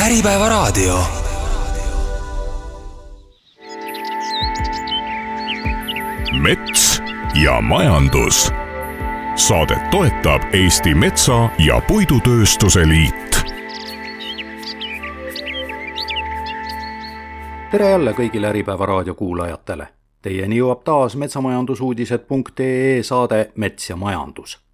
Äripäevaraadio. Mets ja majandus. Saadet toetab Eesti Metsa- ja Puidutööstuse Liit. Tere jälle kõigile Äripäevaraadio kuulajatele. Teieni jõuab taas metsamajandusuudised.ee saade Mets ja majandus.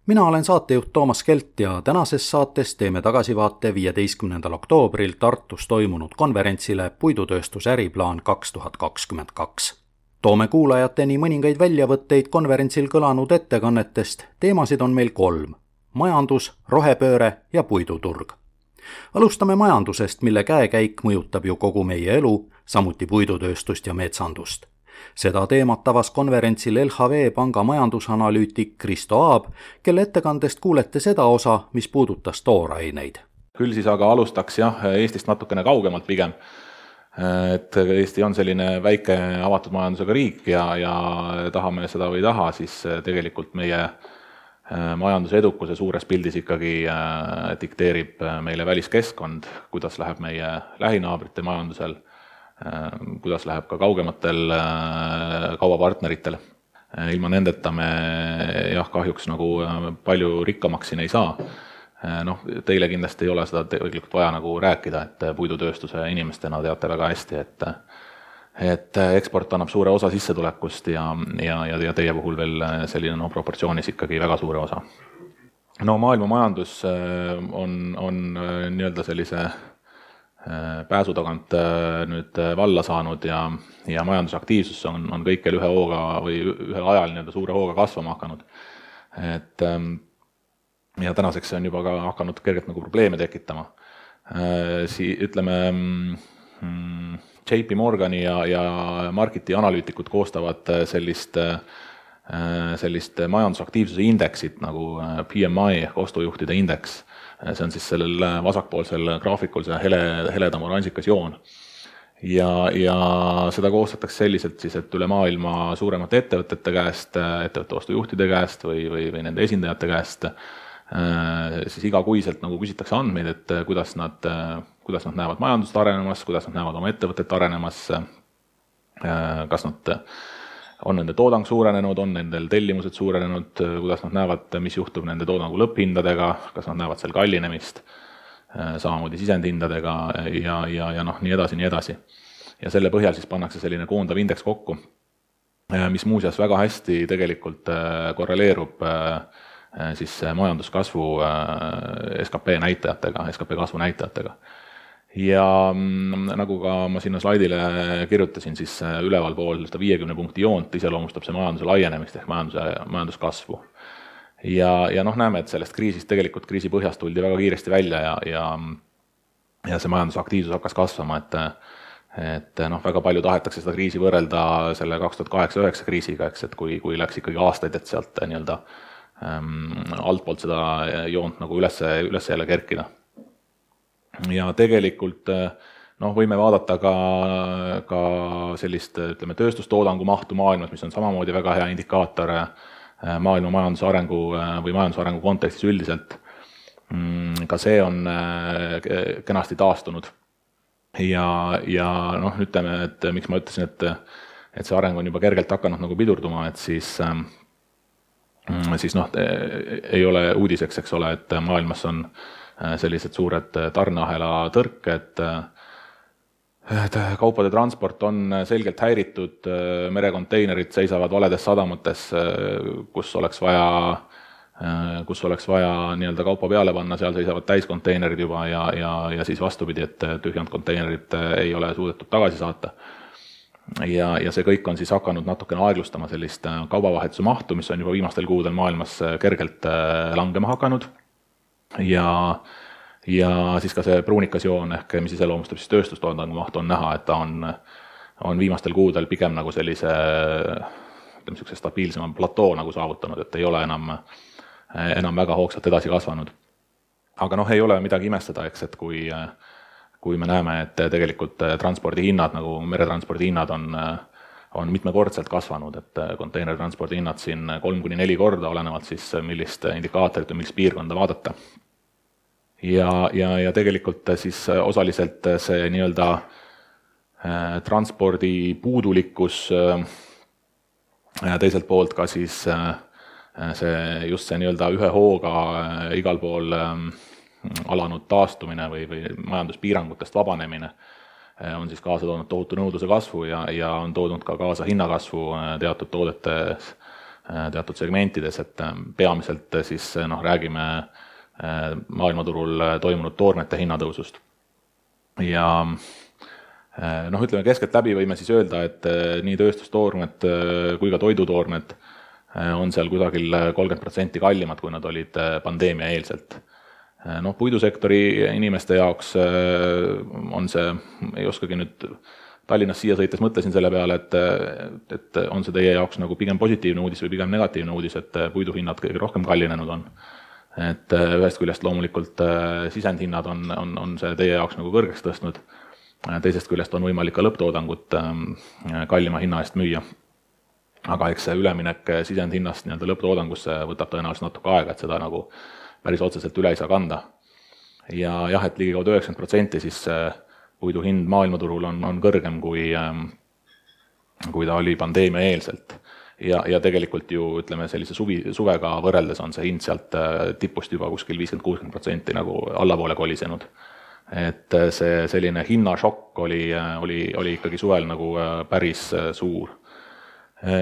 Mina olen saatejuht Toomas Kelt ja tänases saates teeme tagasivaate 15. oktoobril Tartus toimunud konverentsile Puidutööstuse äriplaan 2022. Toome kuulajateni mõningaid väljavõtteid konverentsil kõlanud ettekannetest. Teemasid on meil 3: majandus, rohepööre ja puiduturg. Alustame majandusest, mille käekäik mõjutab ju kogu meie elu, samuti puidutööstust ja metsandust. Seda teemat avas konverentsil LHV panga majandusanalüütik Kristo Aab, kelle ettekandest kuulete seda osa, mis puudutas tooraineid. Küll siis aga alustaks Eestist natukene kaugemalt pigem. Et Eesti on selline väike avatud majandusega riik ja tahame seda või taha, siis tegelikult meie majanduse edukuse suures pildis ikkagi dikteerib meile väliskeskkond, kuidas läheb meie lähinaabrite majandusel, kuidas läheb ka kaugematel kaubapartneritel. Ilma nendeta me kahjuks nagu palju rikkamaks siin ei saa. Teile kindlasti ei ole seda tegelikult vaja nagu rääkida, et puidutööstuse inimestena teate väga hästi, et eksport annab suure osa sissetulekust ja teie puhul veel selline proportsioonis ikkagi väga suure osa. Maailma majandus on nii-öelda sellise pääsu tagant nüüd valla saanud ja majandusaktiivsus on kõikjal ühe hooga või ühel ajal nii-öelda suure hooga kasvama hakanud. Ja tänaseks see on juba ka hakanud kergelt nagu probleeme tekitama. Ütleme, JP Morgani ja Marketi analüütikud koostavad sellist majandusaktiivsuse indeksit nagu PMI, ostujuhtide indeks. See on siis sellel vasakpoolsel graafikul see heledam oranžikas joon. Ja seda koostatakse selliselt siis, et üle maailma suuremate ettevõtete käest, ettevõtte ostujuhtide käest või nende esindajate käest siis igakuiselt nagu küsitakse andmeid, et kuidas nad näevad majandust arenemas, kuidas nad näevad oma ettevõtet arenemas, kas nad on nende toodang suurenenud, on nendel tellimused suurenenud, kuidas nad näevad, mis juhtub nende toodangu lõpphindadega, kas nad näevad seal kallinemist, samamoodi sisendhindadega ja nii edasi. Ja selle põhjal siis pannakse selline koondav indeks kokku, mis muuseas väga hästi tegelikult korreleerub siis majanduskasvu SKP näitajatega, SKP kasvu näitajatega. Ja nagu ka ma sinna slaidile kirjutasin, siis üleval pool 50 punkti joont iseloomustab see majanduse laienemist ehk majanduskasvu. Ja näeme, et sellest kriisist tegelikult kriisi põhjast tuldi väga kiiresti välja ja see majandusaktiivsus hakkas kasvama, et väga palju tahetakse seda kriisi võrrelda selle 2008-2009 kriisiga, et kui läks ikkagi aastaid, et sealt nii-öelda altpoolt seda joont nagu üles jälle kerkida. Ja tegelikult võime vaadata ka sellist tööstustoodangu mahtu maailmas, mis on samamoodi väga hea indikaator maailma majanduse arengu või majanduse arengu kontekstis üldiselt. Ka see on kenasti taastunud. Ja ütleme, et miks ma ütlesin, et see areng on juba kergelt hakanud nagu pidurduma, et siis ei ole uudiseks, eks ole, et maailmas on sellised suured tarneahela tõrked, et kaupade transport on selgelt häiritud, merekonteinerid seisavad valedes sadamates, kus oleks vaja nii-öelda kaupa peale panna, seal seisavad täiskonteinerid juba ja siis vastupidi, et tühjand konteinerid ei ole suudetud tagasi saata. Ja see kõik on siis hakanud natukene aeglustama sellist kaubavahetuse mahtu, mis on juba viimastel kuudel maailmas kergelt langema hakanud. Ja siis ka see pruunikas joon ehk mis iseloomustab siis tööstustoodangu mahtu on näha, et ta on viimastel kuudel pigem nagu sellise stabiilsema platoo nagu saavutanud, et ei ole enam väga hoogsalt edasi kasvanud. Aga ei ole midagi imestada, eks, et kui me näeme, et tegelikult transpordihinnad, nagu meretranspordi hinnad on mitmekordselt kasvanud, et konteinertranspordi hinnad siin 3-4 korda, olenevalt siis millist indikaatorit või millist piirkonda vaadata. ja tegelikult siis osaliselt see nii-öelda transpordi puudulikkus, teiselt poolt ka siis just see nii-öelda ühe hooga igal pool alanud taastumine või majanduspiirangutest vabanemine on siis kaasa toonud tohutu nõudluse kasvu ja on toodud ka kaasa hinnakasvu teatud toodetes, teatud segmentides, et peamiselt siis räägime maailmaturul toimunud toormete hinnatõusust. Ja ütleme keskeltläbi võime siis öelda, et nii tööstustoormed kui ka toidutoormed on seal kusagil 30% kallimad, kui nad olid pandeemia eelselt. Puidusektori inimeste jaoks on see, ei oskagi nüüd Tallinnas siia sõites mõtlesin selle peale, et on see teie jaoks nagu pigem positiivne uudis või pigem negatiivne uudis, et puiduhinnad kõige rohkem kallinenud on. Et ühest küljest loomulikult sisendhinnad on see teie jaoks nagu kõrgeks tõstnud, teisest küljest on võimalik ka lõpptoodangut kallima hinna eest müüa. Aga eks see üleminek sisendhinnast nii-öelda lõpptoodangusse võtab tõenäoliselt natuke aega, et seda nagu päris otseselt üle ei saa kanda. Ja jah, et ligikaudu 90% siis puidu hind maailmaturul on kõrgem, kui ta oli pandeemia eelselt. Ja tegelikult ju, ütleme, sellise suvega võrreldes on see hind sealt tipust juba kuskil 50-60% nagu allapoole kolisenud. Et see selline hinnašokk oli ikkagi suvel nagu päris suur.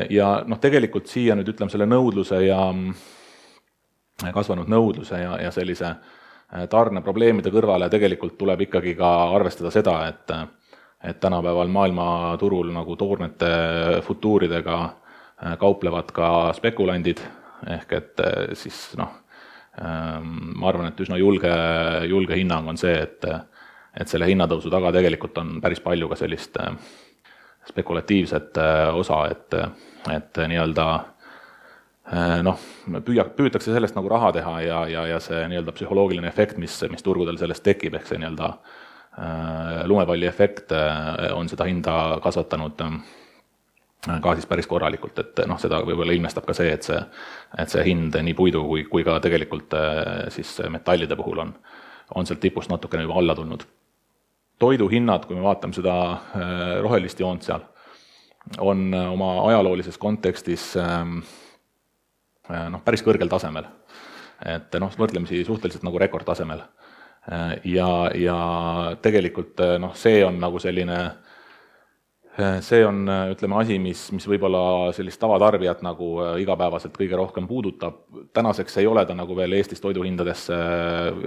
Ja tegelikult siia nüüd ütleme selle nõudluse ja kasvanud nõudluse ja sellise tarneprobleemide kõrvale tegelikult tuleb ikkagi ka arvestada seda, et tänapäeval maailmaturul nagu toormete futuuridega kauplevad ka spekulandid, ehk et siis ma arvan, et üsna julge hinnang on see, et selle hinnatõusu taga tegelikult on päris palju ka sellist spekulatiivset osa, et nii-öelda püütakse sellest nagu raha teha ja see nii-öelda psühholoogiline efekt, mis turgudel sellest tekib, ehk see nii-öelda lumepalli efekt on seda hinda kasvatanud ka siis päris korralikult, et seda võib-olla ilmestab ka see, et see hind nii puidu kui ka tegelikult siis metallide puhul on sealt tipust natukene juba alla tulnud. Toiduhinnad, kui me vaatame seda rohelist joont seal, on oma ajaloolises kontekstis päris kõrgel tasemel. Et võrdlemisi suhteliselt nagu rekordtasemel. Ja tegelikult see on nagu selline, see on, ütleme, asi, mis võib-olla sellist tavatarbijat nagu igapäevaselt kõige rohkem puudutab. Tänaseks ei ole ta nagu veel Eestis toiduhindadesse,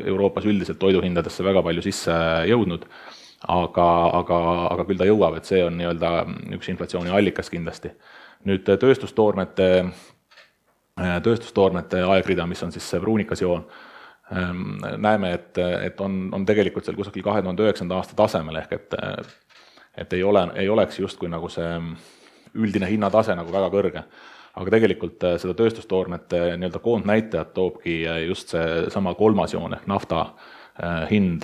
Euroopas üldiselt toiduhindadesse väga palju sisse jõudnud, aga küll ta jõuab, et see on nii-öelda üks inflatsiooni allikas kindlasti. Nüüd tööstustoormete aegrida, mis on siis see pruunikas joon, näeme, et on tegelikult seal kusagil 2009. aasta tasemel, ehk et ei oleks justkui nagu see üldine hinnatase nagu väga kõrge. Aga tegelikult seda tööstustoormete nii-öelda koondnäitajat toobki just see sama kolmas joon ehk nafta hind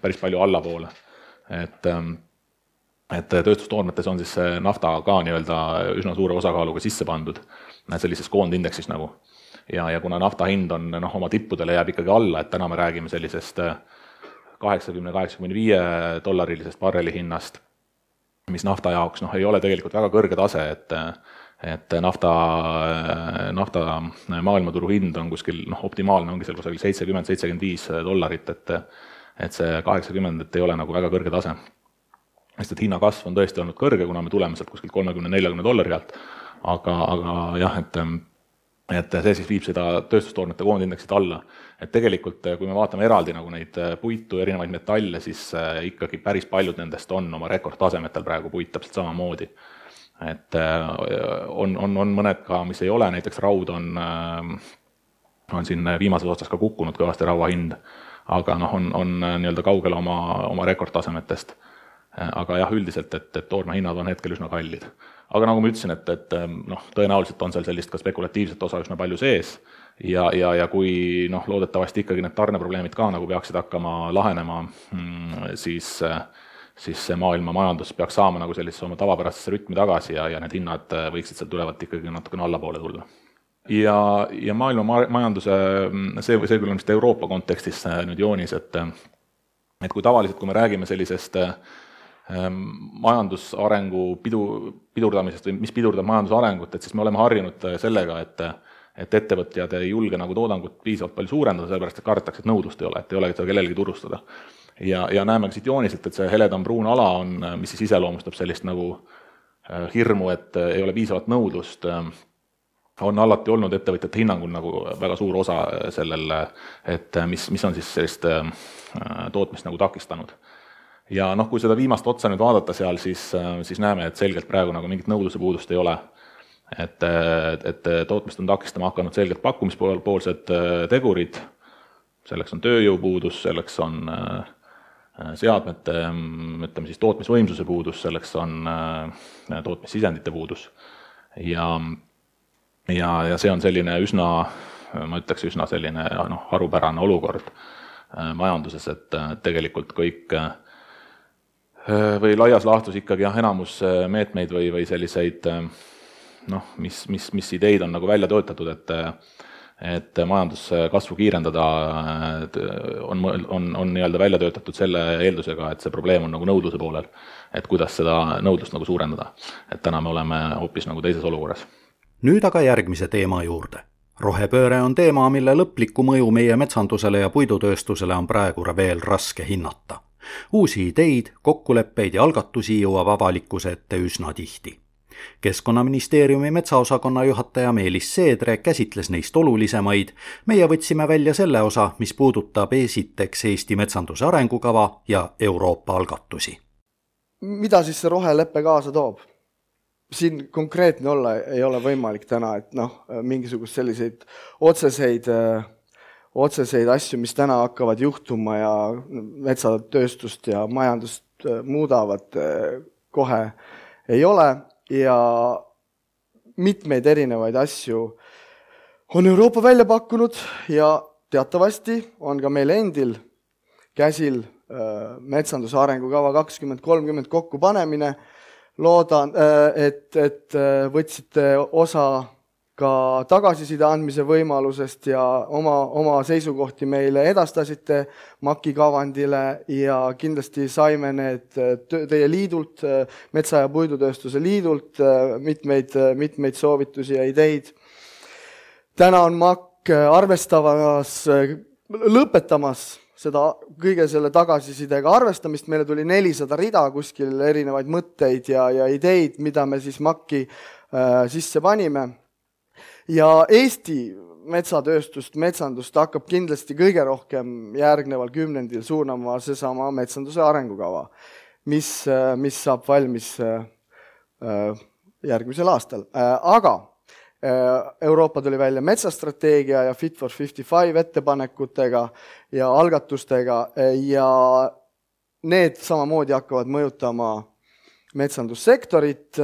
päris palju allapoole. Et tööstustoormetes on siis nafta ka nii-öelda üsna suure osakaaluga sisse pandud sellises koondindeksis nagu. Ja kuna nafta hind on oma tippudele jääb ikkagi alla, et täna me räägime sellisest $80-85 barreli hinnast, mis nafta jaoks ei ole tegelikult väga kõrge tase, et nafta maailmaturu hind on kuskil optimaalne, ongi seal kusagil $70-75, et see 80 ei ole nagu väga kõrge tase. Sest et hinnakasv on tõesti olnud kõrge, kuna me tuleme sealt kuskil $30-40 alt, aga jah, et see siis viib seda tööstustoormete koondindeksit alla. Et tegelikult, kui me vaatame eraldi nagu neid puitu, erinevaid metalle, siis ikkagi päris paljud nendest on oma rekordtasemetel praegu puit täpselt samamoodi. Et on mõned ka, mis ei ole, näiteks raud on siin viimases otsas ka kukkunud kõvasti raua hind, aga on nii-öelda kaugel oma rekordtasemetest. Aga jah, üldiselt, et toorme hinnad on hetkel üsna kallid. Aga nagu ma ütlesin, et tõenäoliselt on seal sellist ka spekulatiivset osa üsna palju sees ja kui loodetavasti ikkagi need tarneprobleemid ka nagu peaksid hakkama lahenema, siis see maailma majandus peaks saama nagu sellisesse oma tavapärasesse rütmi tagasi ja need hinnad võiksid seal tulevalt ikkagi natukene allapoole tulla. ja maailma majanduse, see küll on vist Euroopa kontekstis nüüd joonis, et kui tavaliselt, kui me räägime sellisest majandusarengu pidurdamisest või mis pidurdab majandusarengut, et siis me oleme harjunud sellega, et ettevõtjad ei julge nagu toodangut piisavalt palju suurendada, sellepärast et kardetakse, et nõudlust ei ole, et ei ole seda kellelegi turustada. Ja näeme ka siit jooniselt, et see heledam pruun ala on, mis siis iseloomustab sellist nagu hirmu, et ei ole piisavalt nõudlust, on alati olnud ettevõtjate hinnangul nagu väga suur osa sellel, et mis on siis sellist tootmist nagu takistanud. Ja kui seda viimast otsa nüüd vaadata seal, siis näeme, et selgelt praegu nagu mingit nõudluse puudust ei ole. Et tootmist on takistama hakanud selgelt pakkumispoolsed tegurid, selleks on tööjõupuudus, selleks on seadmete, ütleme siis tootmisvõimsuse puudus, selleks on tootmissisendite puudus. Ja see on selline üsna, ma ütleks üsna selline harupärane olukord majanduses, et tegelikult kõik või laias laastus ikkagi enamus meetmeid või selliseid, mis ideid on nagu välja töötatud, et majanduskasvu kiirendada on nii-öelda välja töötatud selle eeldusega, et see probleem on nagu nõudluse poolel, et kuidas seda nõudlust nagu suurendada. Et täna me oleme hoopis nagu teises olukorras. Nüüd aga järgmise teema juurde. Rohepööre on teema, mille lõplikku mõju meie metsandusele ja puidutööstusele on praegu veel raske hinnata. Uusi ideid, kokkuleppeid ja algatusi jõuab avalikkuse ette üsna tihti. Keskkonnaministeeriumi metsaosakonna juhataja Meelis Seedre käsitles neist olulisemaid. Meie võtsime välja selle osa, mis puudutab esiteks Eesti metsanduse arengukava ja Euroopa algatusi. Mida siis see roheleppe kaasa toob? Siin konkreetne olla ei ole võimalik täna, et mingisugust selliseid otseseid asju, mis täna hakkavad juhtuma ja metsatööstust ja majandust muudavad kohe ei ole ja mitmeid erinevaid asju on Euroopa välja pakkunud ja teatavasti on ka meil endil käsil metsanduse arengukava 2030 kokkupanemine. Loodan, et võtsite osa ka tagasiside andmise võimalusest ja oma seisukohti meile edastasite MAK-i kavandile ja kindlasti saime need teie liidult, Metsa- ja Puidutööstuse liidult mitmeid soovitusi ja ideid. Täna on MAK lõpetamas seda kõige selle tagasisidega arvestamist. Meile tuli 400 rida kuskil erinevaid mõtteid ja ideid, mida me siis MAK-i sisse panime. Ja Eesti metsandust hakkab kindlasti kõige rohkem järgneval kümnendil suunama seesama metsanduse arengukava, mis saab valmis järgmisel aastal. Aga Euroopa tuli välja metsastrateegia ja Fit for 55 ettepanekutega ja algatustega ja need samamoodi hakkavad mõjutama metsandussektorit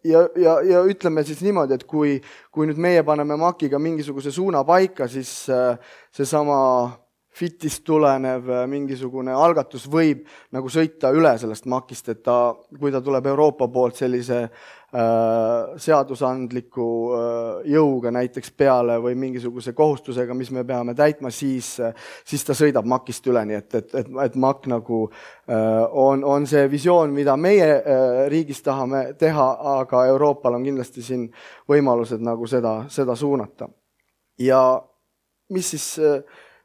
ja ütleme siis niimoodi, et kui nüüd meie paneme MAK-iga mingisuguse suuna paika, siis seesama Fitist tulenev mingisugune algatus võib nagu sõita üle sellest MAK-ist, et kui ta tuleb Euroopa poolt sellise seadusandliku jõuga näiteks peale või mingisuguse kohustusega, mis me peame täitma, siis ta sõidab MAK-ist üle, nii et MAK nagu on see visioon, mida meie riigis tahame teha, aga Euroopal on kindlasti siin võimalused nagu seda suunata. Ja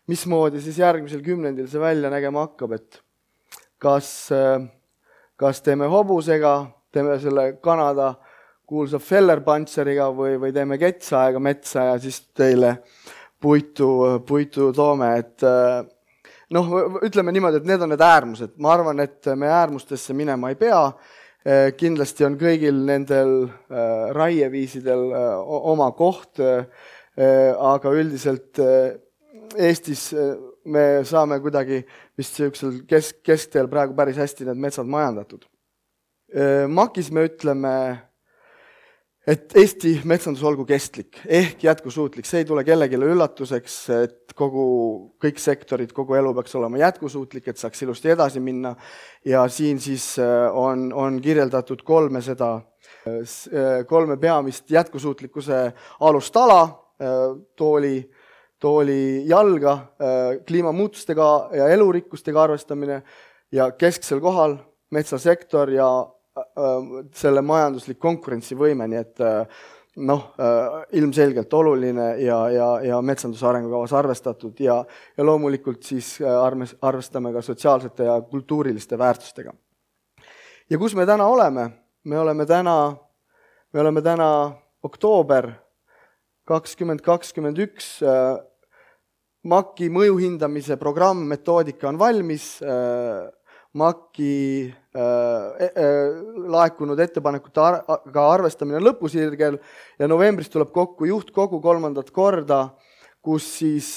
mismoodi siis järgmisel kümnendil see välja nägema hakkab, et kas teeme hobusega, teeme selle Kanada kuulsa Feller-Pantseriga või teeme ketsaega metsa ja siis teile puitu toome, et ütleme niimoodi, et need on need äärmused. Ma arvan, et me äärmustesse minema ei pea. Kindlasti on kõigil nendel raieviisidel oma koht, aga üldiselt Eestis me saame kuidagi vist sellisel keskteel praegu päris hästi need metsad majandatud. MAK-is me ütleme, et Eesti metsandus olgu kestlik ehk jätkusuutlik. See ei tule kellelegi üllatuseks, et kõik sektorid, kogu elu peaks olema jätkusuutlik, et saaks ilusti edasi minna. Ja siin siis on kirjeldatud kolme peamist jätkusuutlikkuse alustala. tooli jalga, kliimamuutustega ja elurikkustega arvestamine ja kesksel kohal metsasektor ja selle majanduslik konkurentsivõime, nii et ilmselgelt oluline ja metsanduse arengukavas arvestatud ja loomulikult siis arvestame ka sotsiaalsete ja kultuuriliste väärtustega. Ja kus me täna oleme? Me oleme täna oktoober 2021, MAK-i mõjuhindamise programm, metoodika on valmis, MAK-i laekunud ettepanekute arvestamine lõpusirgel ja novembris tuleb kokku juhtkogu 3. korda, kus siis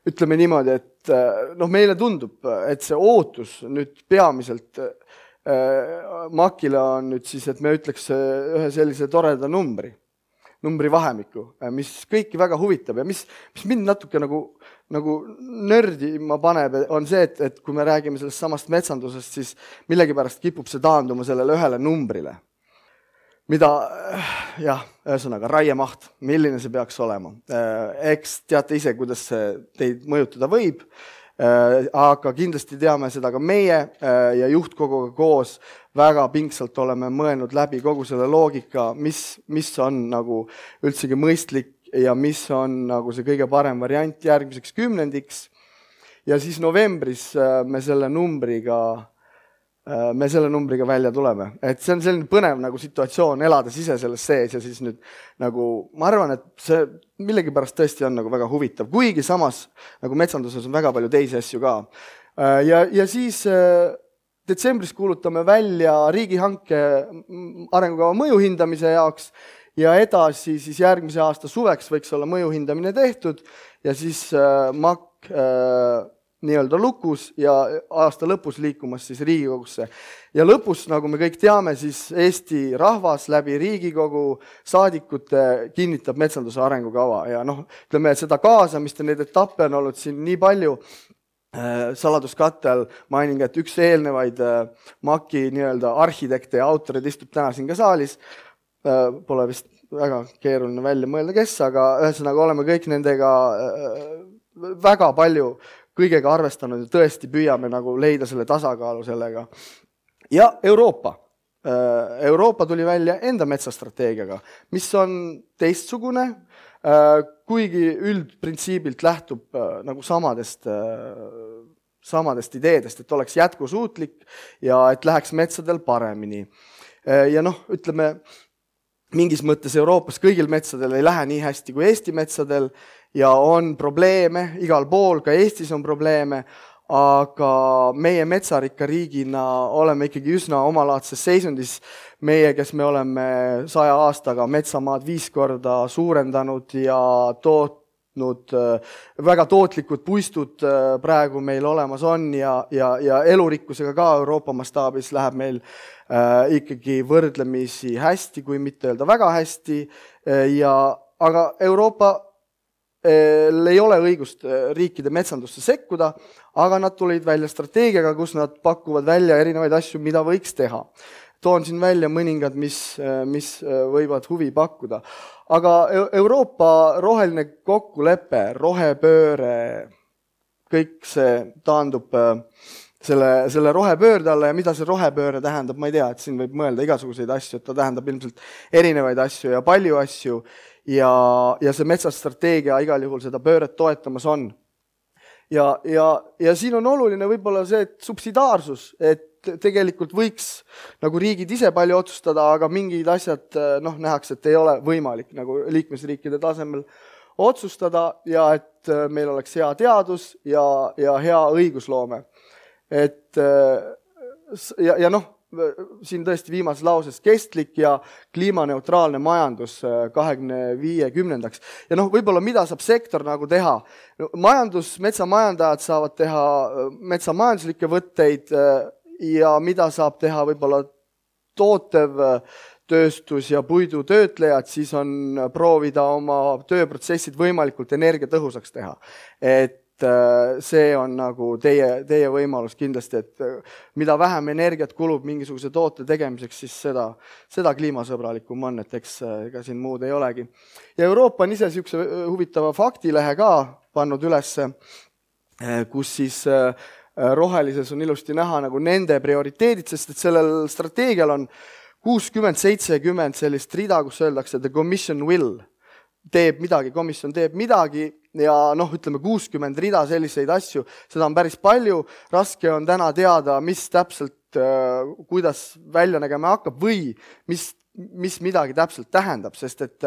ütleme niimoodi, et meile tundub, et see ootus nüüd peamiselt MAK-ile on nüüd siis, et me ütleks ühe sellise toreda numbri vahemikku, mis kõiki väga huvitab ja mis mind natuke nagu nördima paneb, on see, et kui me räägime sellest samast metsandusest, siis millegipärast kipub see taanduma sellele ühele numbrile. Mida, ühesõnaga, raiemaht, milline see peaks olema. Eks teate ise, kuidas see teid mõjutada võib, aga kindlasti teame seda ka meie ja juhtkoguga koos väga pingsalt oleme mõelnud läbi kogu selle loogika, mis on nagu üldsegi mõistlik ja mis on nagu see kõige parem variant järgmiseks 10. Ja siis novembris me selle numbriga välja tuleme. Et see on selline põnev nagu situatsioon, elades ise selles sees ja siis nüüd nagu, ma arvan, et see millegipärast tõesti on nagu väga huvitav, kuigi samas nagu metsanduses on väga palju teisi asju ka. Ja siis detsembris kuulutame välja riigihanke arengukava mõjuhindamise jaoks ja edasi siis järgmise aasta suveks võiks olla mõjuhindamine tehtud ja siis MAK nii-öelda lukus ja aasta lõpus liikumas siis Riigikogusse. Ja lõpus, nagu me kõik teame, siis Eesti rahvas läbi Riigikogu saadikute kinnitab metsanduse arengukava ja ütleme, et seda kaasamist ja neid etappe on olnud siin nii palju. Saladuskattel mainin, et üks eelnevaid MAK-i nii-öelda arhitekte ja autorid istub täna siin ka saalis. Pole vist väga keeruline välja mõelda, kes, aga ühesõnaga oleme kõik nendega väga palju kõigega arvestanud ja tõesti püüame nagu leida selle tasakaalu sellega. Ja Euroopa tuli välja enda metsastrateegiaga, mis on teistsugune, kuigi üldprintsiibilt lähtub nagu samadest ideedest, et oleks jätkusuutlik ja et läheks metsadel paremini. Ja ütleme, mingis mõttes Euroopas kõigil metsadel ei lähe nii hästi kui Eesti metsadel ja on probleeme, igal pool, ka Eestis on probleeme, aga meie metsarikka riigina oleme ikkagi üsna omalaadses seisundis. Meie, kes me oleme 100 aastaga metsamaad 5 korda suurendanud ja tootnud väga tootlikud puistud praegu meil olemas on ja elurikkusega ka Euroopa mastaabis läheb meil ikkagi võrdlemisi hästi, kui mitte öelda väga hästi. Aga Euroopa ei ole õigust riikide metsandusse sekkuda, aga nad tulid välja strateegiaga, kus nad pakuvad välja erinevaid asju, mida võiks teha. Toon siin välja mõningad, mis võivad huvi pakkuda. Aga Euroopa roheline kokkulepe, rohepööre, kõik see taandub selle rohepöörde alla ja mida see rohepööre tähendab, ma ei tea, et siin võib mõelda igasuguseid asju, et ta tähendab ilmselt erinevaid asju ja palju asju ja see metsastrateegia igal juhul seda pööret toetamas on. Ja siin on oluline võib-olla see, et subsidaarsus, et tegelikult võiks nagu riigid ise palju otsustada, aga mingid asjad nähakse, et ei ole võimalik nagu liikmesriikide tasemel otsustada ja et meil oleks hea teadus ja hea õigusloome. Et siin tõesti viimases lauses kestlik ja kliimaneutraalne majandus 2050. Ja võib-olla mida saab sektor nagu teha? Metsamajandajad saavad teha metsamajanduslikke võtteid ja mida saab teha võib-olla tootev tööstus ja puidutöötlejad, siis on proovida oma tööprotsessid võimalikult energiatõhusaks teha. Et et see on nagu teie võimalus kindlasti, et mida vähem energiat kulub mingisuguse toote tegemiseks, siis seda kliimasõbralikum on, et eks ega siin muud ei olegi. Ja Euroopa on ise niisuguse huvitava faktilehe ka pannud ülesse, kus siis rohelises on ilusti näha nagu nende prioriteedid, sest et sellel strateegial on 60-70 sellist rida, kus öeldakse, the commission will komisjon teeb midagi ja ütleme 60 rida selliseid asju, seda on päris palju, raske on täna teada, mis täpselt, kuidas välja nägema hakkab või mis midagi täpselt tähendab, sest et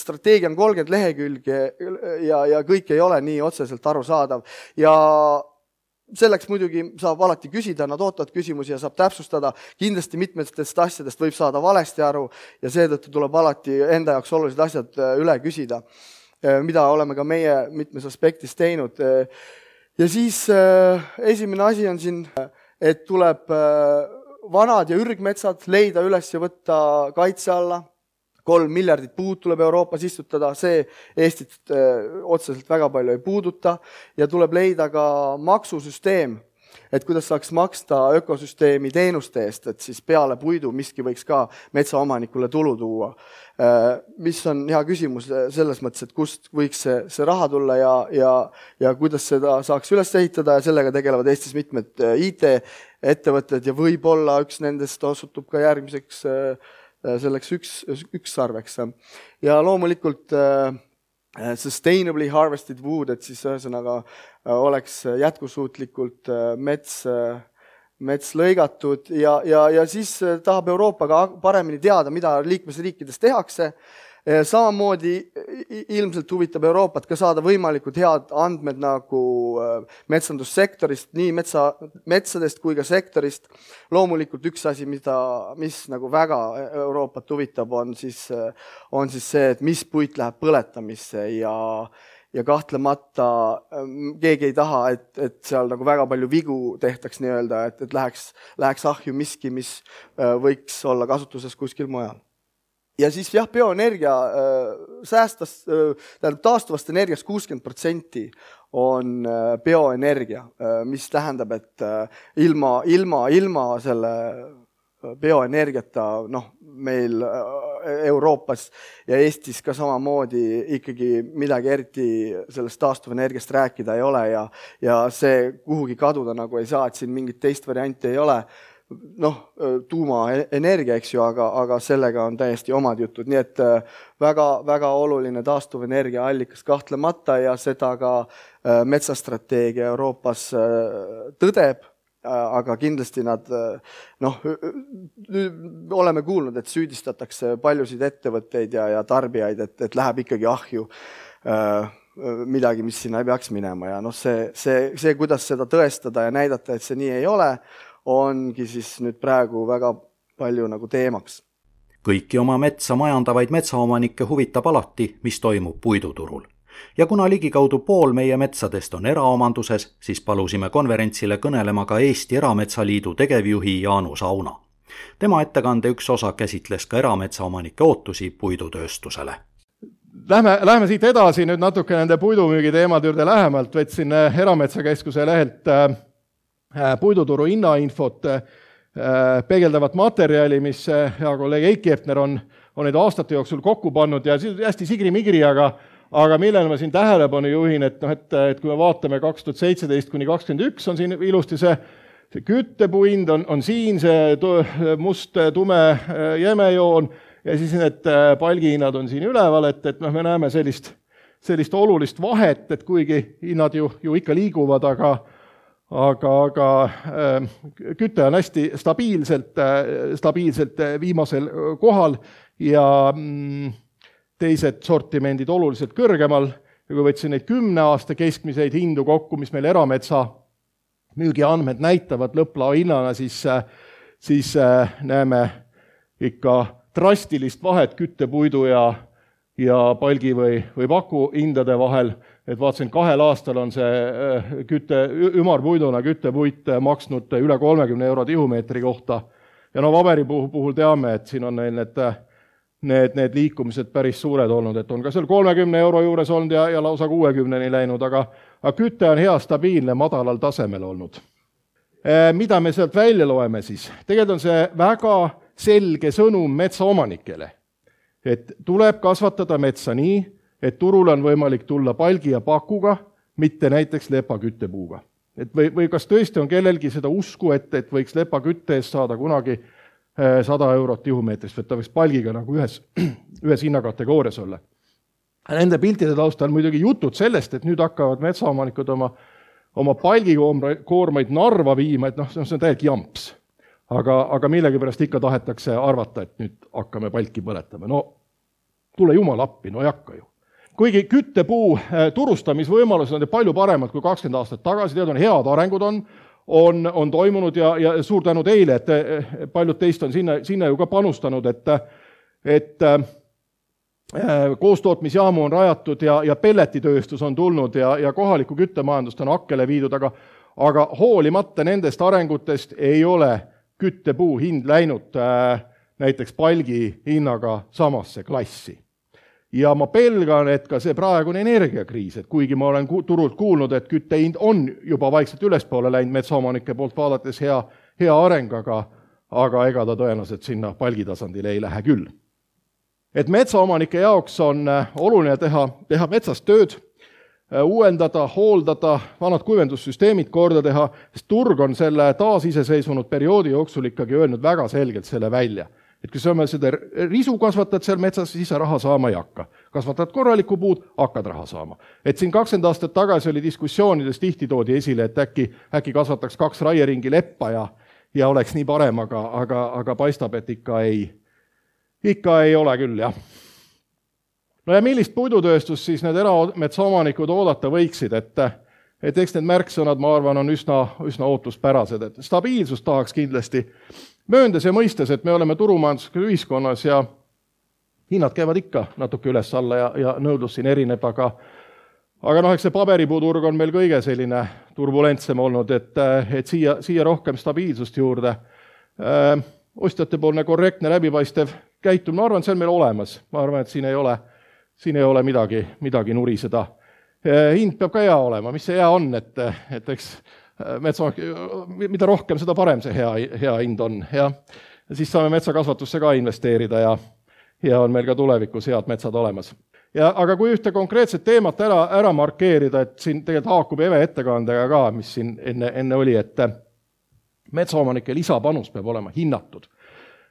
strateegia on 30 lehekülge ja kõik ei ole nii otseselt arusaadav ja selleks muidugi saab alati küsida, nad ootavad küsimusi ja saab täpsustada. Kindlasti mitmetest asjadest võib saada valesti aru ja seetõttu tuleb alati enda jaoks olulised asjad üle küsida, mida oleme ka meie mitmes aspektis teinud. Ja siis esimene asi on siin, et tuleb vanad ja ürgmetsad leida üles ja võtta kaitse alla. 3 miljardit puud tuleb Euroopas istutada, see Eestit otseselt väga palju ei puuduta ja tuleb leida ka maksusüsteem, et kuidas saaks maksta ökosüsteemi teenuste eest, et siis peale puidu miski võiks ka metsaomanikule tulu tuua. Mis on hea küsimus selles mõttes, et kust võiks see raha tulla ja kuidas seda saaks üles ehitada ja sellega tegelevad Eestis mitmed IT-ettevõtted ja võib-olla üks nendest osutub ka järgmiseks selleks üks sarveks. Ja loomulikult sustainably harvested wood, et siis ühesõnaga oleks jätkusuutlikult mets lõigatud ja siis tahab Euroopa ka paremini teada, mida liikmesriikides tehakse. Samamoodi ilmselt huvitab Euroopat ka saada võimalikud head andmed nagu metsandussektorist, nii metsadest kui ka sektorist. Loomulikult üks asi, mis nagu väga Euroopat huvitab, on siis see, et mis puit läheb põletamisse ja kahtlemata keegi ei taha, et seal nagu väga palju vigu tehtaks nii-öelda, et läheks ahju miski, mis võiks olla kasutuses kuskil mujal. Ja siis bioenergia taastuvast energiast 60% on bioenergia, mis tähendab, et ilma selle bioenergiata meil Euroopas ja Eestis ka samamoodi ikkagi midagi eriti sellest taastuvenergiast rääkida ei ole ja see kuhugi kaduda nagu ei saa, et siin mingit teist varianti ei ole. Tuumaenergia, eks ju, aga sellega on täiesti omad jutud. Nii et väga, väga oluline taastuvenergia allikas kahtlemata ja seda ka metsastrateegia Euroopas tõdeb, aga kindlasti nad, oleme kuulnud, et süüdistatakse paljusid ettevõtteid ja tarbijaid, et läheb ikkagi ahju midagi, mis sinna ei peaks minema ja see, kuidas seda tõestada ja näidata, et see nii ei ole, ongi siis nüüd praegu väga palju nagu teemaks. Kõiki oma metsa majandavaid metsaomanikke huvitab alati, mis toimub puiduturul. Ja kuna ligikaudu pool meie metsadest on eraomanduses, siis palusime konverentsile kõnelema ka Eesti Erametsaliidu tegevjuhi Jaanus Auna. Tema ettekande üks osa käsitles ka erametsaomanike ootusi puidutööstusele. Lähme siit edasi nüüd natuke nende puidumüügi teemad juurde lähemalt. Võtsin Erametsakeskuse lehelt puiduturu hinnainfot peegeldavat materjali, mis hea kolleeg Eiki Eftner on neid aastate jooksul kokku pannud ja hästi sigri-migri, aga millele ma siin tähelepanu juhin, et kui me vaatame 2017 kuni 2021 on siin ilusti see küttepuind on siin see must tume jämejoon ja siis need palgihinnad on siin üleval, et me näeme sellist olulist vahet, et kuigi hinnad ju ikka liiguvad, aga küte on hästi stabiilselt viimasel kohal ja teised sortimendid oluliselt kõrgemal. Ja kui võtsin neid 10 aasta keskmiseid hindu kokku, mis meil erametsa müügiandmed näitavad lõpplao hinnana, siis näeme ikka drastilist vahet küttepuidu ja palgi või paku hindade vahel. Et vaatasin, 2 aastal on see ümarpuiduna küttepuit maksnud üle 30 € tihumeetri kohta. Ja paberi puhul teame, et siin on neil need liikumised päris suured olnud, et on ka seal 30 euro juures olnud ja lausa 60-ni läinud, aga küte on hea stabiilne madalal tasemel olnud. Mida me sealt välja loeme siis? Tegelikult on see väga selge sõnum metsaomanikele, et tuleb kasvatada metsa nii, et turul on võimalik tulla palgi ja pakuga, mitte näiteks lepaküttepuuga. Või kas tõesti on kellelgi seda usku, et võiks lepakütte eest saada kunagi 100 eurot tihumeetrist, et ta võiks palgiga nagu ühes hinnakategoorias olla. Nende piltide taustal muidugi jutud sellest, et nüüd hakkavad metsaomanikud oma palgikoormaid Narva viima, et see on täielikult jamps. Aga millegipärast ikka tahetakse arvata, et nüüd hakkame palki põletama. No tule jumal appi, no ei hakka ju. Kuigi küttepuu turustamisvõimalused on palju paremad kui 20 aastat tagasi, on head arengud on toimunud ja suur tänu teile, et paljud teist on sinna ju ka panustanud, et koostootmisjaamu on rajatud ja pelletitööstus on tulnud ja kohaliku küttemajandust on akkele viidud, aga hoolimata nendest arengutest ei ole küttepuu hind läinud näiteks palgi hinnaga samasse klassi. Ja ma pelgan, et ka see praegune energiakriis, et kuigi ma olen turult kuulnud, et küttehind on juba vaikselt ülespoole läinud metsaomanike poolt vaadates hea areng, aga ega ta tõenäoliselt sinna palgitasandile ei lähe küll. Et metsaomanike jaoks on oluline teha metsas tööd, uuendada, hooldada, vanad kuivendussüsteemid korda teha, sest turg on selle taasiseseisvunud perioodi jooksul ikkagi öelnud väga selgelt selle välja. Et kui sa seda risu kasvatad seal metsas, siis sa raha saama ei hakka. Kasvatad korralikku puud, hakkad raha saama. Et siin 20 aastat tagasi oli diskussioonides tihti toodi esile, et äkki kasvataks 2 raieringi leppa ja oleks nii parem, aga paistab, et ikka ei ole küll, jah. No ja millist puidutööstust siis need erametsaomanikud oodata võiksid, et eks need märksõnad, ma arvan, on üsna ootuspärased, et stabiilsus tahaks kindlasti mööndes ja mõistes, et me oleme turumajanduslikus ühiskonnas ja hinnad käivad ikka natuke üles-alla ja nõudlus siin erineb, aga eks see paberipuuturg on meil kõige selline turbulentsem olnud, et siia rohkem stabiilsust juurde. Ostjatepoolne korrektne läbipaistev käitumine, ma arvan, et see on meil olemas. Ma arvan, et siin ei ole midagi nuriseda. Hind peab ka hea olema, mis see hea on, et eks mida rohkem, seda parem see hea hind on. Ja siis saame metsakasvatusse ka investeerida ja on meil ka tulevikus head metsad olemas. Aga kui ühte konkreetset teemat ära markeerida, et siin tegelikult haakub Eve ettekandega ka, mis siin enne oli, et metsaomanike lisapanus peab olema hinnatud.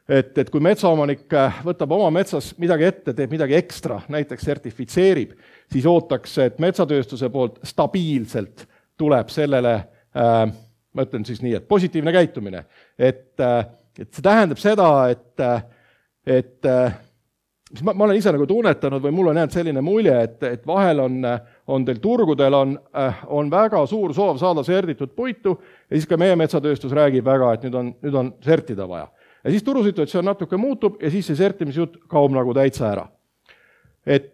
Et kui metsaomanik võtab oma metsas midagi ette, teeb midagi ekstra, näiteks sertifitseerib, siis ootaks, et metsatööstuse poolt stabiilselt tuleb sellele ma ütlen siis nii, et positiivne käitumine. Et see tähendab seda, et ma olen ise nagu tunnetanud või mul on jäänud selline mulje, et vahel on teil turgudel on väga suur soov saada serditud puitu ja siis ka meie metsatööstus räägib väga, et nüüd on sertida vaja. Ja siis turusituatsioon natuke muutub ja siis see sertimisjut kaob nagu täitsa ära. Et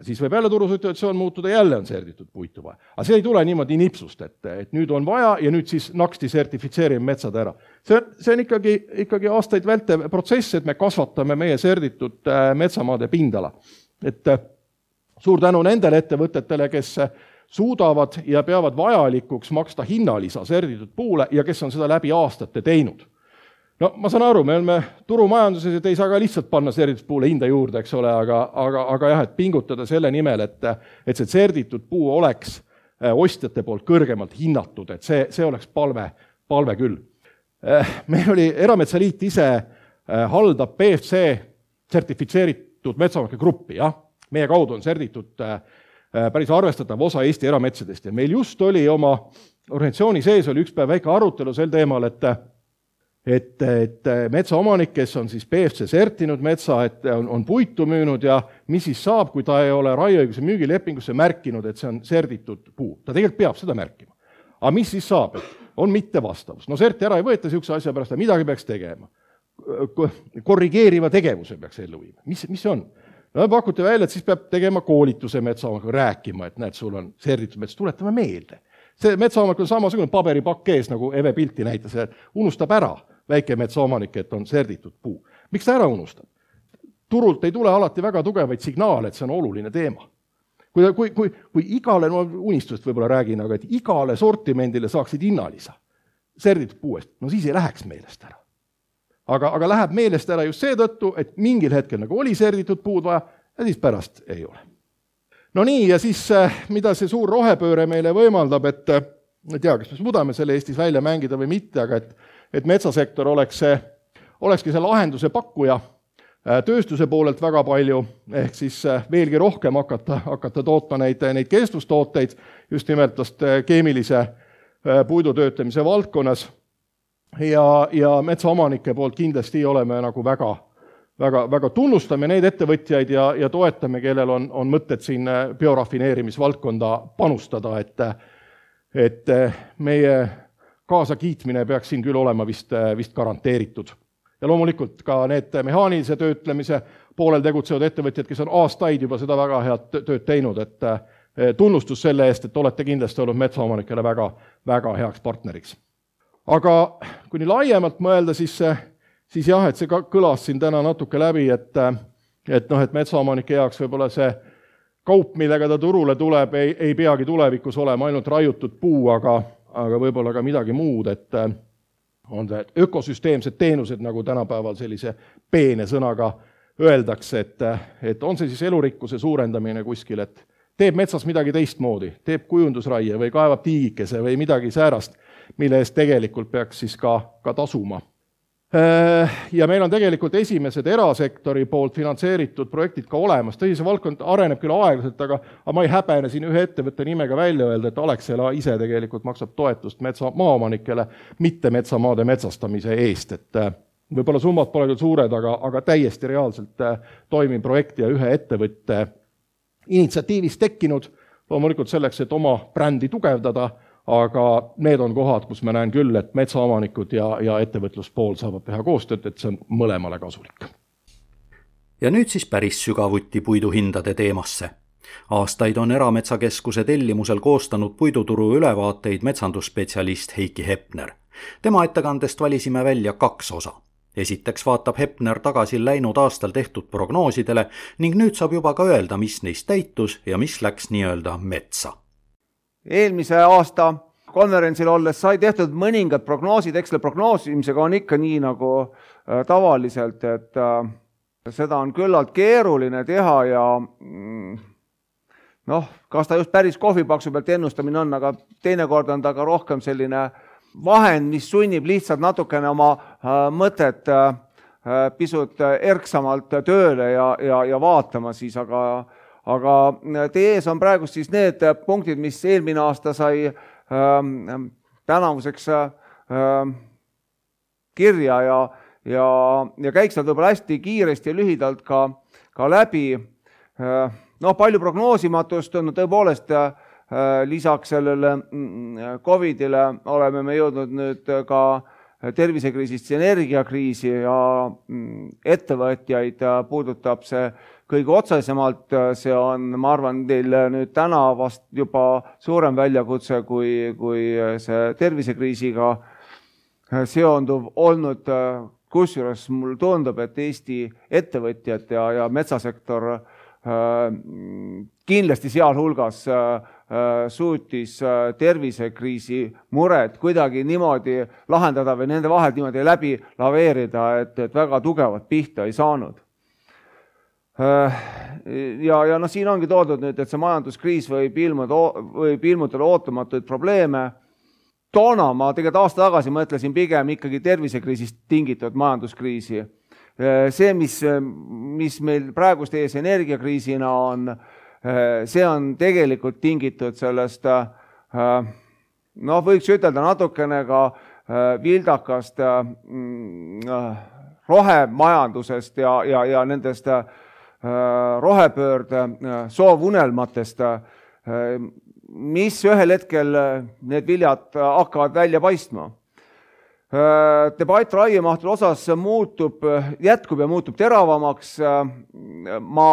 siis võib jälle turusituatsioon muutuda, jälle on serditud puitu vaja. Aga see ei tule niimoodi nipsust, et nüüd on vaja ja nüüd siis naksti sertifitseerime metsad ära. See on ikkagi aastaid vältev protsess, et me kasvatame meie serditud metsamaade pindala. Et suur tänu nendele ettevõtetele, kes suudavad ja peavad vajalikuks maksta hinnalisa serditud puule ja kes on seda läbi aastate teinud. No ma saan aru, me oleme turumajanduses, et ei saa ka lihtsalt panna serditud puule hinda juurde, eks ole, aga jah, et pingutada selle nimel, et see serditud puu oleks ostjate poolt kõrgemalt hinnatud, et see oleks palve küll. Meil oli Erametsaliit ise haldab BFC sertifitseeritud metsaomanike gruppi, jah. Meie kaudu on serditud päris arvestatav osa Eesti erametsadest ja meil just oli oma organisatsiooni sees oli üks päev väike arutelu sel teemal, et metsaomanik, kes on siis BFC sertinud metsa, et on puitu müünud ja mis siis saab, kui ta ei ole raieõiguse müügilepingusse märkinud, et see on serditud puu. Ta tegelikult peab seda märkima. Aga mis siis saab? On mittevastavus. No serti ära ei võeta sihukese asja pärast, midagi peaks tegema. Korrigeeriva tegevuse peaks ellu viima. Mis see on? No pakuti välja, et siis peab tegema koolituse metsaomaniga rääkima, et näed, sul on serditud mets, tuletame meelde. See metsaomanik on samasugune paberipakk ees, nagu Eve pilti näitas, et unustab ära väike metsaomanik, et on serditud puu. Miks ta ära unustab? turult ei tule alati väga tugevaid signaale, et see on oluline teema. Kui igale, no unistust võib-olla räägin, aga et igale sortimendile saaksid hinnalisa serditud puuest, no siis ei läheks meelest ära. Aga läheb meelest ära just seetõttu, et mingil hetkel nagu oli serditud puud vaja ja siis pärast ei ole. No nii, ja siis mida see suur rohepööre meile võimaldab, et ei tea, kas me suudame selle Eestis välja mängida või mitte, aga et metsasektor olekski see lahenduse pakkuja tööstuse poolelt väga palju, ehk siis veelgi rohkem hakata tootma neid kestvustooteid just nimelt keemilise puidu töötlemise valdkonnas ja metsaomanike poolt kindlasti oleme nagu väga tunnustame neid ettevõtjaid ja toetame, kellel on mõtted siin biorafineerimisvaldkonda panustada, et meie kaasakiitmine peaks siin küll olema vist garanteeritud. Ja loomulikult ka need mehaanilise töötlemise poolel tegutsevad ettevõtjad, kes on aastaid juba seda väga head tööd teinud, et tunnustus selle eest, et olete kindlasti olnud metsaomanikele väga heaks partneriks. Aga kui nii laiemalt mõelda, siis jah, et see kõlas siin täna natuke läbi, et metsaomanike jaoks võib-olla see kaup, millega ta turule tuleb, ei peagi tulevikus olema ainult raiutud puu, aga võib-olla ka midagi muud, et on see ökosüsteemsed teenused, nagu tänapäeval sellise peene sõnaga öeldakse, et on see siis elurikkuse suurendamine kuskil, et teeb metsas midagi teistmoodi, teeb kujundusraie või kaevab tiigikese või midagi säärast, mille eest tegelikult peaks siis ka tasuma. Ja meil on tegelikult esimesed erasektori poolt finantseeritud projektid ka olemas. Tõsi, see valdkond areneb küll aeglaselt, aga ma ei häbene siin ühe ettevõtte nimega välja öelda, et Alexela ise tegelikult maksab toetust maaomanikele, mitte metsamaade metsastamise eest. Et võib-olla summad pole küll suured, aga täiesti reaalselt toimib projekt ja ühe ettevõtte initsiatiivis tekkinud, loomulikult selleks, et oma brändi tugevdada, aga need on kohad, kus ma näen küll, et metsaomanikud ja ettevõtluspool saavad teha koostööd, et see on mõlemale kasulik. Ja nüüd siis päris sügavuti puiduhindade teemasse. Aastaid on Erametsakeskuse tellimusel koostanud puiduturu ülevaateid metsandusspetsialist Heiki Hepner. Tema ettekandest valisime välja 2 osa. Esiteks vaatab Hepner tagasi läinud aastal tehtud prognoosidele ning nüüd saab juba ka öelda, mis neist täitus ja mis läks nii-öelda metsa. Eelmise aasta konverentsil olles sai tehtud mõningad prognoosid, eks selle prognoosimisega on ikka nii nagu tavaliselt, et seda on küllalt keeruline teha ja kas ta just päris kohvipaksu pealt ennustamine on, aga teinekord on ta ka rohkem selline vahend, mis sunnib lihtsalt natukene oma mõtet pisut erksamalt tööle ja vaatama siis, aga teie ees on praegu siis need punktid, mis eelmine aasta sai tänavuseks kirja ja käiks nad võib-olla hästi kiiresti ja lühidalt ka läbi. Palju prognoosimatust on tõepoolest lisaks sellele COVIDile oleme me jõudnud nüüd ka tervisekriisist energiakriisi ja ettevõtjaid puudutab see kõige otsesemalt, see on, ma arvan, teil nüüd täna vast juba suurem väljakutse kui see tervisekriisiga seonduv olnud, kusjuures mul tundub, et Eesti ettevõtjad ja metsasektor kindlasti sealhulgas suutis tervisekriisi mured kuidagi niimoodi lahendada või nende vahel niimoodi läbi laveerida, et väga tugevat pihta ei saanud. Ja siin ongi toodud nüüd, et see majanduskriis võib ilmutada ootamatuid probleeme. Toona ma tegelikult aasta tagasi mõtlesin pigem ikkagi tervisekriisist tingitud majanduskriisi. See, mis meil praegust ees energiakriisina on, see on tegelikult tingitud sellest, võiks ütelda natukene ka vildakast rohemajandusest ja nendest rohepöörde soovunelmatest, mis ühel hetkel need viljad hakkavad välja paistma. Debatt raiemahtude osas jätkub ja muutub teravamaks. Ma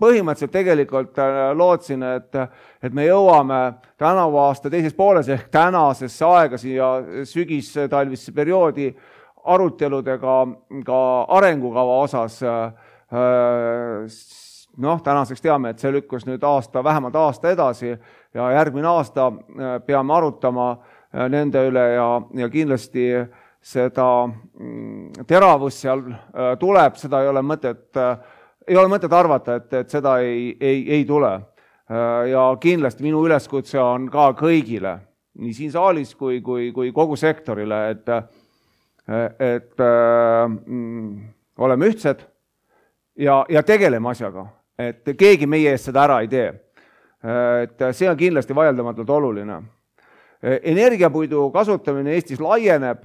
põhimõtteliselt tegelikult lootsin, et me jõuame tänavu aasta teises pooles ehk tänasesse aega siia sügis-talvisse perioodi aruteludega ka arengukava osas tänaseks teame, et see lükkus nüüd vähemalt aasta edasi ja järgmine aasta peame arutama nende üle ja kindlasti seda teravust seal tuleb, seda ei ole mõtet arvata, et seda ei tule. Ja kindlasti minu üleskutse on ka kõigile, nii siin saalis kui kogu sektorile, et oleme ühtsed ja tegeleme asjaga, et keegi meie eest seda ära ei tee. Et see on kindlasti vaieldamatult oluline. Energiapuidu kasutamine Eestis laieneb.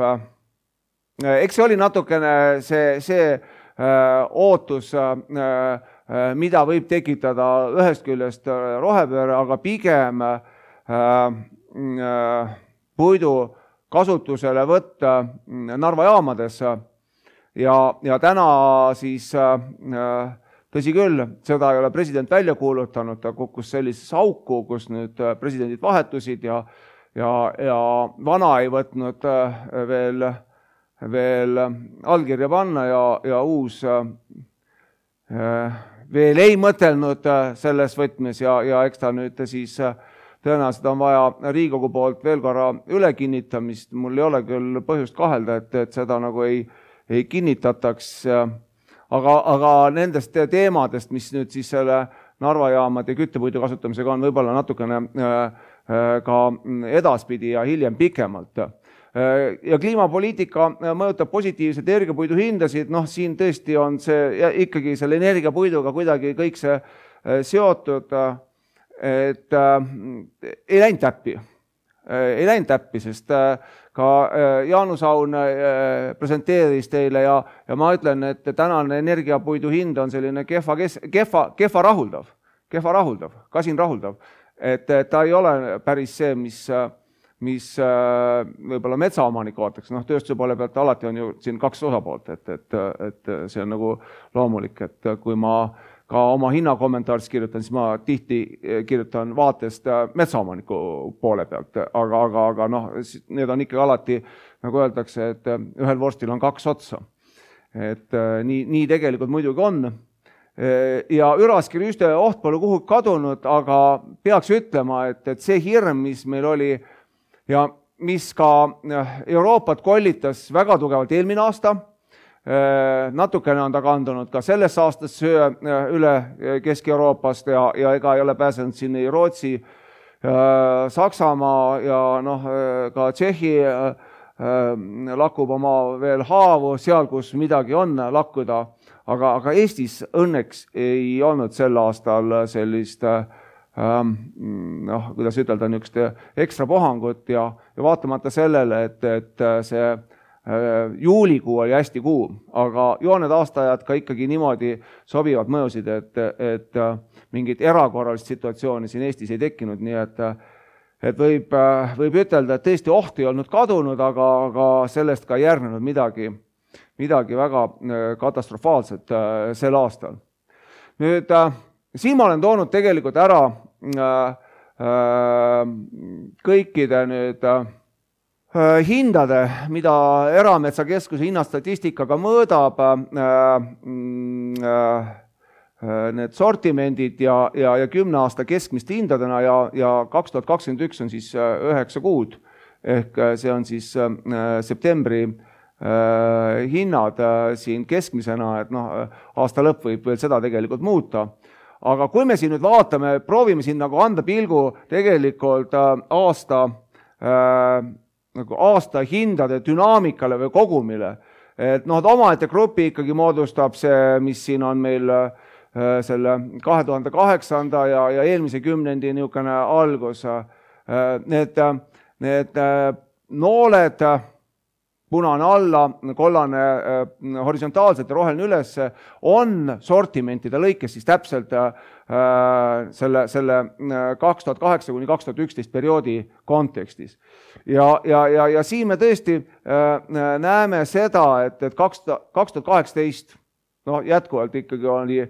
Eks see oli natukene see ootus, mida võib tekitada ühest küljest rohepööre, aga pigem puidu kasutusele võtta Narva jaamades ja täna siis tõsi küll, seda ei ole president välja kuulutanud, ta kukkus sellises auku, kus nüüd presidendid vahetusid ja vana ei võtnud veel allkirja panna ja uus veel ei mõtelnud selles võtmes ja eks ta nüüd siis tõenäoliselt on vaja Riigikogu poolt veel korra üle kinnitamist. Mul ei ole küll põhjust kahelda, et seda nagu ei kinnitataks, aga nendest teemadest, mis nüüd siis selle Narva jaamade küttepuidu kasutamisega on võib-olla natukene ka edaspidi ja hiljem pikemalt. Ja kliimapoliitika mõjutab positiivselt energiapuidu hindasid, siin tõesti on see ikkagi selle energiapuiduga kuidagi kõik see seotud, et ei läinud täppi, sest ka Jaanus Aun presenteeris teile ja ma ütlen, et tänane energiapuidu hind on selline kehva rahuldav, kasin rahuldav, et ta ei ole päris see, mis võib-olla metsaomanik ootaks. Tööstuse poole pealt alati on ju siin kaks osapoolt, et see on nagu loomulik, et kui ma ka oma hinnakommentaaris kirjutan, siis ma tihti kirjutan vaatest metsaomaniku poole pealt, aga need on ikka alati, nagu öeldakse, et ühel vorstil on kaks otsa. Et nii tegelikult muidugi on. Ja üraskirüüste oht pole kuhugi kadunud, aga peaks ütlema, et see hirm, mis meil oli ja mis ka Euroopat kollitas väga tugevalt eelmine aasta, natukene on ta kandunud ka selles aastas üle Kesk-Euroopast ja ega ei ole pääsenud siin ei Rootsi, Saksamaa ja ka Tšehhi lakub oma veel haavu seal, kus midagi on lakkuda, aga Eestis õnneks ei olnud sel aastal sellist kuidas ütelda, niisugust ekstra puhangut ja vaatamata sellele, et see juulikuu oli hästi kuum, aga jooned aastaajad ka ikkagi niimoodi sobivad mõjusid, et mingit erakorralist situatsiooni siin Eestis ei tekkinud, nii et võib ütelda, et tõesti oht ei olnud kadunud, aga sellest ka järgnenud midagi väga katastrofaalset sel aastal. Nüüd, siin ma olen toonud tegelikult ära kõikide nüüd hindade, mida Erametsakeskuse hinnastatistikaga mõõdab, need sortimendid ja 10 aasta keskmiste hindadena ja 2021 on siis 9 kuud, ehk see on siis septembri hinnad siin keskmisena, et aasta lõpp võib veel seda tegelikult muuta. Aga kui me siin nüüd vaatame, proovime siin nagu anda pilgu tegelikult aasta hindade dünaamikale või kogumile, et omaette grupi ikkagi moodustab see, mis siin on meil selle 2008. ja eelmise kümnendi niisugune algus. Need nooled, punane alla, kollane horisontaalselt ja roheline üles, on sortimentide lõikes siis täpselt selle 2008–2011 perioodi kontekstis. Ja siin me tõesti näeme seda, et 2018 jätkuvalt ikkagi oli,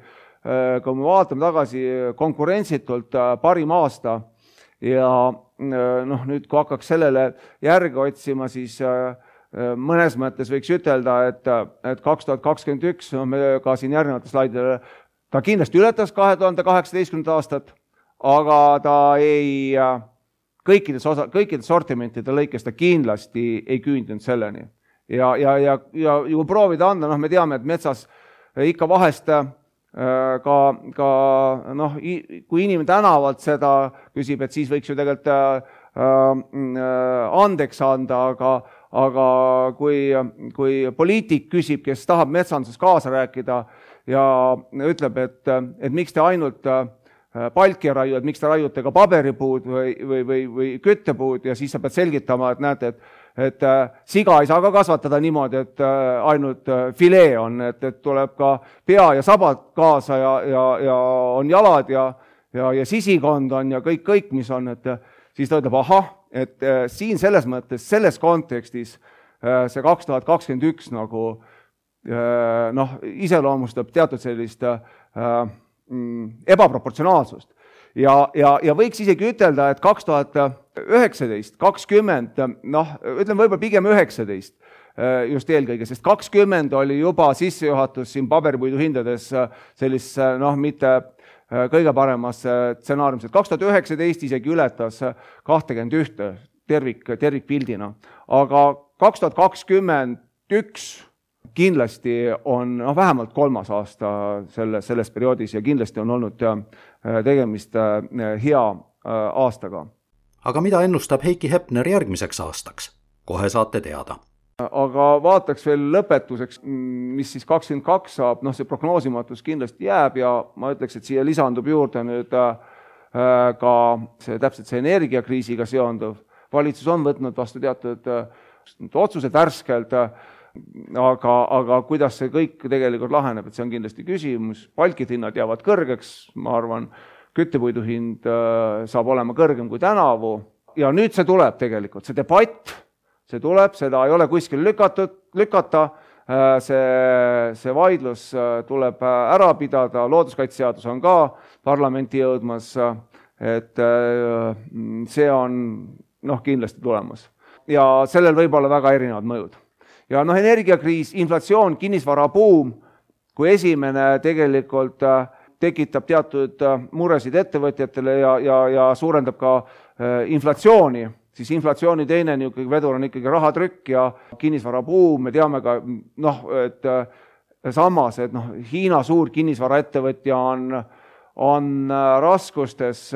kui me vaatame tagasi, konkurentsitult parim aasta ja nüüd, kui hakkaks sellele järgi otsima, siis mõnes mõttes võiks ütelda, et 2021, me ka siin järgnevatel slaididel, ta kindlasti ületas 2018. aastat, aga ta ei, kõikides sortimentide lõikes ta kindlasti ei küündinud selleni. Ja kui proovida anda, me teame, et metsas ikka vahest kui inimene tänavalt seda küsib, et siis võiks ju tegelikult andeks anda, aga kui poliitik küsib, kes tahab metsanduses kaasa rääkida ja ütleb, et miks te ainult palki raiu, et miks te raiute ka paberipuud või küttepuud ja siis sa pead selgitama, et näete, et siga ei saa ka kasvatada niimoodi, et ainult filee on, et tuleb ka pea ja sabad kaasa ja on jalad ja sisikond on ja kõik, mis on, et siis ta ütleb, ahah, et siin selles mõttes, selles kontekstis see 2021 nagu iseloomustab teatud sellist ebaproportsionaalsust. Ja võiks isegi ütelda, et 2019, 20, ütleme võib-olla pigem 19 just eelkõige, sest 20 oli juba sissejuhatus siin paberipuidu hindades sellise, mitte kõige paremas stsenaariumis, et 2019 isegi ületas 21 tervikpildina, aga 2021 kindlasti on vähemalt 3. aasta selles perioodis ja kindlasti on olnud tegemist hea aastaga. Aga mida ennustab Heiki Hepner järgmiseks aastaks? Kohe saate teada. Aga vaataks veel lõpetuseks, mis siis 22 saab, see prognoosimatus kindlasti jääb ja ma ütleks, et siia lisandub juurde nüüd ka täpselt see energiakriisiga seonduv. Valitsus on võtnud vastu teatud otsused värskelt, aga kuidas see kõik tegelikult laheneb, et see on kindlasti küsimus. Palkide hinnad jäävad kõrgeks, ma arvan, küttepuidu hind saab olema kõrgem kui tänavu ja nüüd see tuleb tegelikult, see debatt, see tuleb, seda ei ole kuskil lükata, see vaidlus tuleb ära pidada, looduskaitseseadus on ka parlamenti jõudmas, et see on kindlasti tulemas. Ja sellel võib olla väga erinevad mõjud. Ja energiakriis, inflatsioon, kinnisvarabuum, kui esimene tegelikult tekitab teatud muresid ettevõtjatele ja suurendab ka inflatsiooni, siis inflatsiooni teine vedur on ikkagi rahatrükk ja kinnisvarabuum, me teame ka, et samas, et Hiina suur kinnisvaraettevõtja on raskustes,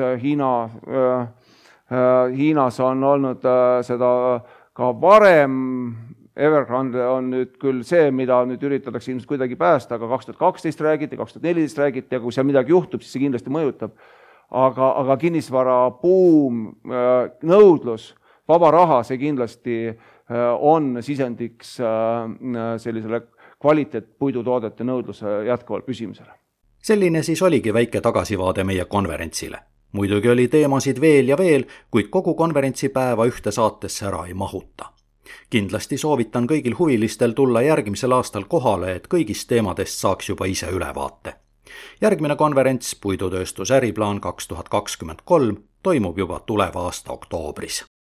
Hiinas on olnud seda ka varem, Evergrande on nüüd küll see, mida nüüd üritatakse ilmselt kuidagi päästa, aga 2012 räägiti, 2014 räägiti, ja kui seal midagi juhtub, siis see kindlasti mõjutab. Aga kinnisvarabuum, nõudlus, vaba raha, see kindlasti on sisendiks sellisele kvaliteetpuidutoodete nõudluse jätkuvalt püsimisele. Selline siis oligi väike tagasivaade meie konverentsile. Muidugi oli teemasid veel ja veel, kuid kogu konverentsipäeva ühte saatesse ära ei mahuta. Kindlasti soovitan kõigil huvilistel tulla järgmisel aastal kohale, et kõigist teemadest saaks juba ise ülevaate. Järgmine konverents Puidutööstus äriplaan 2023 toimub juba tuleva aasta oktoobris.